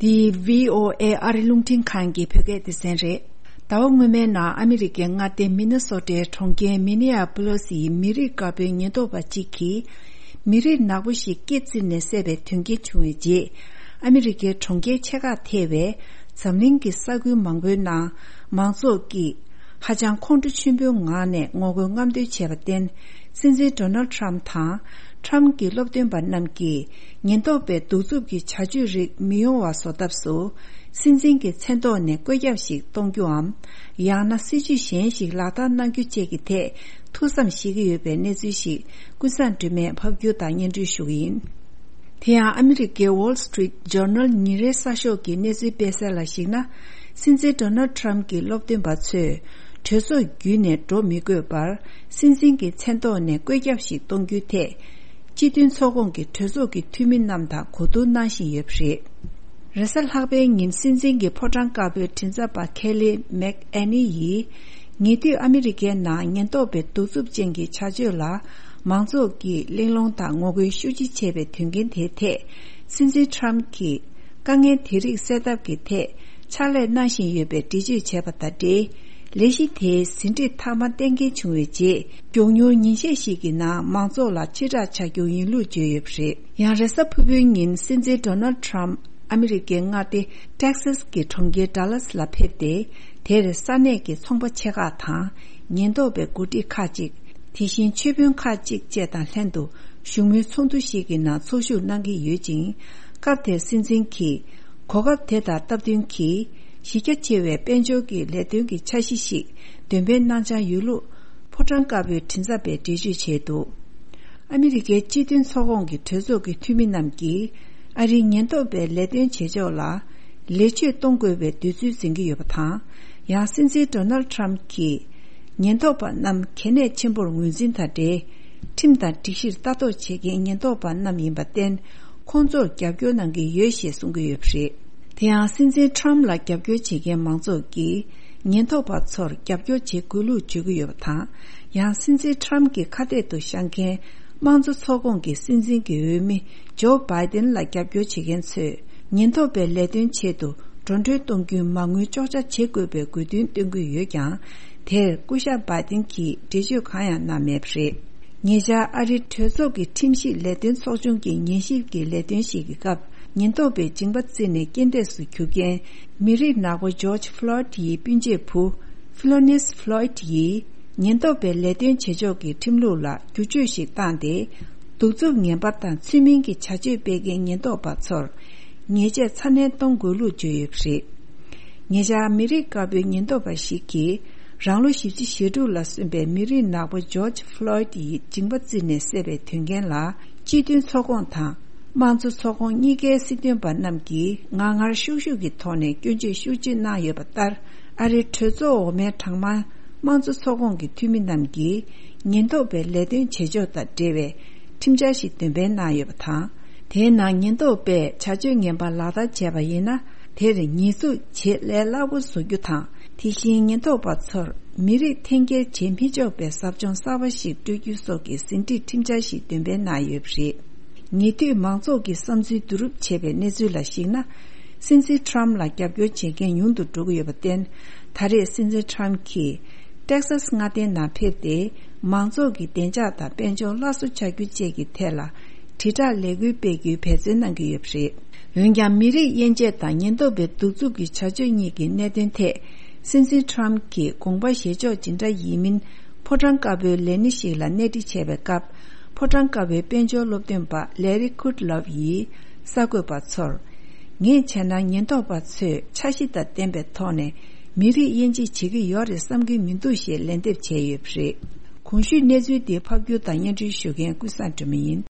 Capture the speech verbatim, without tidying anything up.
འདི་བྷི་ཨོ་ཨེ་ཨ་རི་རླུང་འཕྲིན་ཁང་གི་བོད་སྐད་སྡེ་ཚན་རེད། ཟླ་བ་སྔོན་མའི་ནང་ཨ་མི་རི་ཀའི་མངའ་སྡེ་མི་ནི་སོ་ཊའི་གྲོང་ཁྱེར་མི་ནི་ཨ་པོ་ལོ་སིའི་མི་རིགས་དཀར་པོའི་ཉེན་རྟོག་པ་གཅིག་གིས་མི་རིགས་ནག་པོ་ཞིག་སྐེ་བཙིར་ནས་བསད་པའི་དོན་རྐྱེན་བྱུང་བའི་རྗེས། ཨ་མི་རི་ཀའི་གྲོང་ཁྱེར་ཆེ་ཁག་ཐེ་བའི་འཛམ་གླིང་གི་ས་ཁུལ་མང་པོའི་ནང་མང་ཚོགས་ཀྱིས་ཧ་ཅང་ཁོང་ཁྲོ་ཆེན་པོའི་ངང་ནས་ངོ་རྒོལ་རྔམ་སྟོན་བྱས་པར་བརྟེན། སྲིད་འཛིན་ཌོ་ནལ་ཌི་ཊརམ་ཕི་དང་ཊརམ་ཕི་གི་སློབ་སྟོན་པ་རྣམས་ཀྱིས་ཉེན་རྟོག་པའི་གདུག་རྩུབ་ཀྱི་བྱ་སྤྱོད་རིགས་མི་ཡོང་བ་བཟོ་ཐབས་སུ། སྲིད་འཛིན་གྱི་མཚན་ཐོག་ནས་བཀོད་ཁྱབ་ཞིག་གཏོང་རྒྱུའམ། ཡང་ན་སྲིད་ཇུས་གཞན་ཞིག་ལག་བསྟར་གནང་རྒྱུ་བཅས་ཀྱི་ཐད་ཐུགས་བསམ་བཞེས་ཀྱི་ཡོད་པའི་གནས་ཚུལ་ཞིག་ཀུན་བཟང་སྒྲོལ་མས་ཕབ་སྒྱུར་དང་སྙན་སྒྲོན་ཞུ་གི་ཡིན། དེ་ཡང་ཨ་མི་རི་ཀའི་Wall Street Journal ཉིན་རེའི་གསར་ཤོག་གི་གནས་ཚུལ་སྤེལ་གསལ་ལ་གཞིགས་ན། སྲིད་འཛིན་ཌོ་ནལ་ཌི་ཊརམ་ཕི་གྱི་སློབ་སྟོན་པ་ཚོས་གྲོས་ཚོགས་བརྒྱུད་ནས་འགྲོ་མི་དགོས་པར། སྲིད་འཛིན་གྱི་མཚན་ཐོག་ནས་བཀོད་ཁྱབ་ཞིག་གཏོང་རྒྱུའི་ཐད། སྤྱི་མཐུན་ཚོགས་ཁོངས་ཀྱི་གྲོས་ཚོགས་ཀྱི་འཐུས་མི་རྣམས་དང་གོ་བསྡུར་གནང་བཞིན་ཡོད་པ་རེད། རེས་གཟའ་ལྷག་པའི་ཉིན་སྲིད་འཛིན་གྱི་ཕོ་བྲང་དཀར་པོའི་མགྲིན་ཚབ་པ་ཁེ་ལི་མེག་ཨེ་ནི་ཡིས། ཉེ་དུས་ཨ་མི་རི་ཀའི་ནང་ཉེན་རྟོག་པའི་གདུག་རྩུབ་ཅན་གྱི་བྱ་སྤྱོད་ལ་མང་ཚོགས་ཀྱིས་གླེང་སློང་དང་ངོ་རྒོལ་ཤུགས་ཆེ་བྱས་པའི་དོན་རྐྱེན་དེའི་ཐད། སྲིད་འཛིན་ཊརམ་ཕི་གྱིས་དཀའ་ངལ་དེ་རིགས་སེལ་ཐབས་ཀྱི་ཐད་ཕྱག་ལས་གནང་བཞིན་ཡོད་པའི་འགྲེལ་བརྗོད་བྱས་པ་དང་འབྲེལ། ལས་གཞི་དེའི་ཟིན་བྲིས་མཐའ་མ་གཏན་འཁེལ་བྱུང་བའི་རྗེས། མགྱོགས་མྱུར་ཉིན་ཤས་ཤིག་གི་ནང་མང་ཚོགས་ལ་ཕྱིར་བསྒྲགས་བྱ་རྒྱུ་ཡིན་ལུགས་བརྗོད་ཡོད་པ་རེད། ཡང་རེས་གཟའ་ཕུར་བུའི་ཉིན་སྲིད་འཛིན་ཌོ་ནལ་ཌི་ཊརམ་ཕི་ཨ་མི་རི་ཀའི་མངའ་སྡེ་ཊེག་སཱས་ཀྱི་གྲོང་ཁྱེར་ཌ་ལཱས་ལ་ཕེབས་ཏེ། དེར་ས་གནས་ཀྱི་ཚོང་པ་ཆེ་ཁག་དང་ཉེན་རྟོག་པའི་འགོ་ཁྲིད་ཁག་ཅིག་དེ་བཞིན་ཆོས་དཔོན་ཁག་ཅིག་བཅས་དང་ལྷན་དུ་བཞུགས་མོལ་ཚོགས་འདུ་ཞིག་གི་ནང་ཚོགས་ཞུགས་གནང་གི་ཡོད་ཅིང་། སྐབས་དེར་སྲིད་འཛིན་གྱིས་གོ་སྐབས་དེ་དང་སྟབས་བསྟུན་གྱིས་གཞི་རྒྱ་ཆེ་བའི་དཔལ་འབྱོར་གྱི་ལས་དོན་གྱི་འཆར་གཞི་ཞིག་འདོན་སྤེལ་གནང་འཆར་ཡོད་ལུགས་ཕོ་བྲང་དཀར་པོའི་མགྲིན་ཚབ་པས་འགྲེལ་བརྗོད་བྱས་འདུག་ཨ་མི་རི་ཀའི་སྤྱི་མཐུན་ཚོགས་ཁོངས་ཀྱི་གྲོས་ཚོགས་ཀྱི་འཐུས་མི་རྣམས་ཀྱིས་ཨ་རིའི་ཉེན་རྟོག་པའི་ལས་དོན་བྱེད་ཕྱོགས་ལ་ལེགས་བཅོས་གཏོང་དགོས་པའི་འདོད་ཚུལ་འཛིན་གྱི་ཡོད་པ་དང་། ཡང་སྲིད་འཛིན་ཌོ་ནལ་ཌི་ཊརམ་ཕི་གྱིས། ཉེན་རྟོག་པ་རྣམས་གལ་གནད་ཆེན་པོར་ངོས་འཛིན་དང་འབྲེལ། ཁྲིམས་དང་སྒྲིག་གཞིར་ལྟ་རྟོག་བྱེད་མཁན་ཉེན་རྟོག་པ་རྣམས་ཡིན་པར་བརྟེན། ཁོང་ཚོར་རྒྱབ་སྐྱོར་གནང་གི་ཡོད་ཞེས་གསུང་གི་ཡོད་པ་རེད། དེ་ཡང་སྲིད་འཛིན་ཊརམ་ཕི་ལ་རྒྱབ་སྐྱོར་བྱེད་མཁན་མང་ཚོགས་ཀྱིས། ཉེན་རྟོག་པ་ཚོར་རྒྱབ་སྐྱོར་བྱེད་དགོས་ལུགས་བརྗོད་ཀྱི་ཡོད་པ་དང་། ཡང་སྲིད་འཛིན་ཊརམ་ཕི་གྱི་ཁ་གཏད་དུ་བཞག་མཁན་དམངས་གཙོ་ཚོགས་ཁོངས་ཀྱི་སྲིད་འཛིན་གྱི་འོས་མི་ཇོ་བྷའི་ཏིན་ལ་རྒྱབ་སྐྱོར་བྱེད་མཁན་ཚོས། ཉེན་རྟོག་པའི་ལས་དོན་ཆེད་དུ་འགྲོ་གྲོན་གཏོང་རྒྱུའི་མ་དངུལ་གཅོག་ཆ་བྱེད་དགོས་པའི་དགོས་འདུན་བཏོན་གྱི་ཡོད་ཀྱང་། དེར་སྐུ་ཞབས་བྷའི་ཏིན་གྱིས་འགྲེལ་བརྗོད་གང་ཡང་གནང་མེད་པ་རེད། ཉེ་ཆར་ཨ་རིའི་གྲོས་ཚོགས་ཀྱི་ཁྲིམས་ཞིབ་ལས་དོན་ཚོགས་ཆུང་གི་ཉན་ཞིབ་ཀྱི་ལས་དོན་ཞིག་གི་སྐབས། ཉེན་རྟོག་པས་མཇིང་པ་བཙིར་ནས་རྐྱེན་འདས་སུ་གྱུར་མཁན་མི་རིགས་ནག་པོ་ཇོརྗ་ཕློའིད་ཡི་སྤུན་མཆེད་བུ། ཕི་ལོ་ནིས་ཕློའིད་ཡིས། ཉེན་རྟོག་པའི་ལས་དོན་བྱེད་ཕྱོགས་ཀྱི་ཁྲིམས་ལུགས་ལ་བསྒྱུར་བཅོས་ཤིག་བཏང་སྟེ། གདུག་རྩུབ་ངན་པ་དང་ཚུལ་མིན་གྱི་བྱ་སྤྱོད་སྤེལ་མཁན་ཉེན་རྟོག་པ་ཚོར། ཉེས་ཆད་ཚ་ནན་གཏོང་དགོས་ལུགས་བརྗོད་ཡོད་པ་རེད། ཉེ་ཆར་མི་རིགས་དཀར་པོའི་ཉེན་རྟོག་པ་ཞིག་གིས། རང་ལོ་བཞི་བཅུ་ཞེ་དྲུག་ལ་སོན་པའི་མི་རིགས་ནག་པོ་ཇོརྗ་ཕློའིད་ཡི་མཇིང་པ་བཙིར་ནས་བསད་པའི་དོན་རྐྱེན་ལ། སྤྱི་མཐུན་ཚོགས་ཁོངས་དང་། དམངས་གཙོ་ཚོགས་ཁོངས་གཉིས་ཀའི་སྲིད་དོན་པ་རྣམས་ཀྱིས་ངར་ངར་ཤུགས་ཤུགས་ཀྱི་ཐོག་ནས་སྐྱོན་བརྗོད་ཤུགས་ཆེ་གནང་ཡོད་པ་ལྟར། ཨ་རིའི་གྲོས་ཚོགས་འོག་མའི་གྲངས་མང་དམངས་གཙོ་ཚོགས་ཁོངས་ཀྱི་འཐུས་མི་རྣམས་ཀྱིས། ཉེན་རྟོག་པའི་ལས་དོན་བྱེད་ཕྱོགས་དང་འབྲེལ་བའི་ཁྲིམས་འཆར་ཞིག་འདོན་སྤེལ་གནང་ཡོད་པ་དང་། དེའི་ནང་ཉེན་རྟོག་པས་བྱ་སྤྱོད་ངན་པ་ལག་བསྟར་བྱས་པ་ཡིན་ན། དེར་ཉེས་འཛུགས་བྱེད་ལས་སླ་པོ་བཟོ་རྒྱུ་དང་། དེ་བཞིན་ཉེན་རྟོག་པ་ཚོར་མི་རིགས་འཐེན་འཁྱེར་བྱེད་མི་ཆོག་པའི་ཟབ་སྦྱོང་གསར་པ་ཞིག་སྤྲོད་རྒྱུ་སོགས་ཀྱི་ཟིན་བྲིས་ཁྲིམས་འཆར་ཞིག་འདོན་སྤེལ་གནང་ཡོད་པ་རེད། ཉེ་དུས་མང་ཚོགས་ཀྱི་བསམ་ཚུལ་བསྡུ་རུབ་བྱས་པའི་གནས་ཚུལ་ལ་གཞིགས་ན། སྲིད་འཛིན་ཊརམ་ཕི་ལ་རྒྱབ་སྐྱོར་བྱེད་མཁན་ཉུང་དུ་འགྲོ་གི་ཡོད་པར་བརྟེན། ད་རེས་སྲིད་འཛིན་ཊརམ་ཕི་གྱིས་ཊེག་སཱས་མངའ་སྡེའི་ནང་ཕེབས་ཏེ། མང་ཚོགས་ཀྱི་བདེ་འཇགས་དང་དཔལ་འབྱོར་སླར་གསོ་བྱ་རྒྱུ་བཅས་ཀྱི་ཐད་ལ། དྲིལ་བསྒྲགས་ལས་འགུལ་སྤེལ་རྒྱུའི་འབད་བརྩོན་གནང་གི་ཡོད་པ་རེད། འོན་ཀྱང་། མི་རིགས་དབྱེ་འབྱེད་དང་ཉེན་རྟོག་པའི་གདུག་རྩུབ་ཀྱི་བྱ་སྤྱོད་གཉིས་ཀྱི་གནད་དོན་ཐད། སྲིད་འཛིན་ཊརམ་ཕི་གྱིས་དགོངས་པ་བཞེས་ཕྱོགས་ཇི་འདྲ་ཡིན་མིན། ཕོ་བྲང་དཀར་པོའི་ལས་སྣེ་ཞིག་ལ་གནས་འདྲི་བྱས་པའི་སྐབས། ཕོ་བྲང་དཀར་པོའི་དཔལ་འབྱོར་སློབ་སྟོན་པ་ལེ་རི་ཀུད་ལོབ་ཡིས་གསར་འགོད་པ་ཚོར། ངས་བྱས་ན་ཉེན་རྟོག་པ་ཚོས་འཆར་གཞི་དང་ལྡན་པའི་ཐོག་ནས་མི་རིགས་དབྱེ་འབྱེད་བྱེད་ཀྱི་ཡོད་རེད་བསམ་གྱི་མི་འདུག་ཞེས་ལན་འདེབས་བྱས་ཡོད་པ་རེད། གོང་ཞུས་གནས་ཚུལ་འདི་ཕབ་སྒྱུར་དང་སྙན་སྒྲོན་ཞུ་མཁན་ཀུན་བཟང་སྒྲོལ་མ་ཡིན།